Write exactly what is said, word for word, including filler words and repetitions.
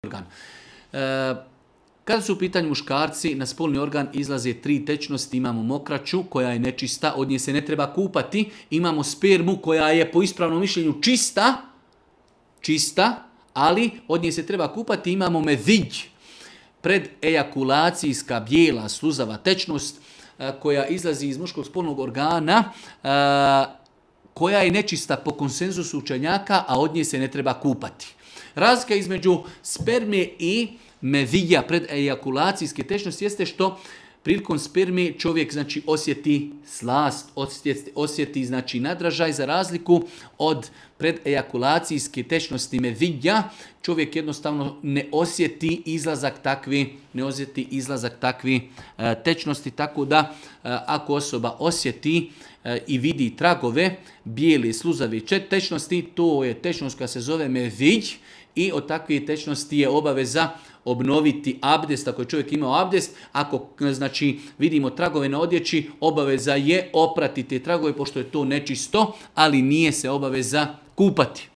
organ. E, kada su u pitanju muškarci, na spolni organ izlaze tri tečnosti. Imamo mokraću koja je nečista, od nje se ne treba kupati. Imamo spermu koja je po ispravnom mišljenju čista, čista, ali od nje se treba kupati. Imamo medhidj, predejakulacijska bijela sluzava tečnost e, koja izlazi iz muškog spolnog organa, e, koja je nečista po konsenzusu učenjaka, a od nje se ne treba kupati. Razlika između sperme i medhidja, predejakulacijske tečnosti, jeste što prilikom sperme čovjek znači osjeti slast, osjeti, osjeti znači nadražaj, za razliku od predejakulacijske tečnosti medhidja, čovjek jednostavno ne osjeti izlazak takvi, ne osjeti izlazak takvi e, tečnosti, tako da e, ako osoba osjeti e, i vidi tragove bijele sluzave tečnosti, to je tečnost koja se zove medhidj i od takve tečnosti je obaveza obnoviti abdest ako je čovjek imao abdest. Ako znači vidimo tragove na odjeći, obaveza je oprati te tragove pošto je to nečisto, ali nije se obaveza kupati.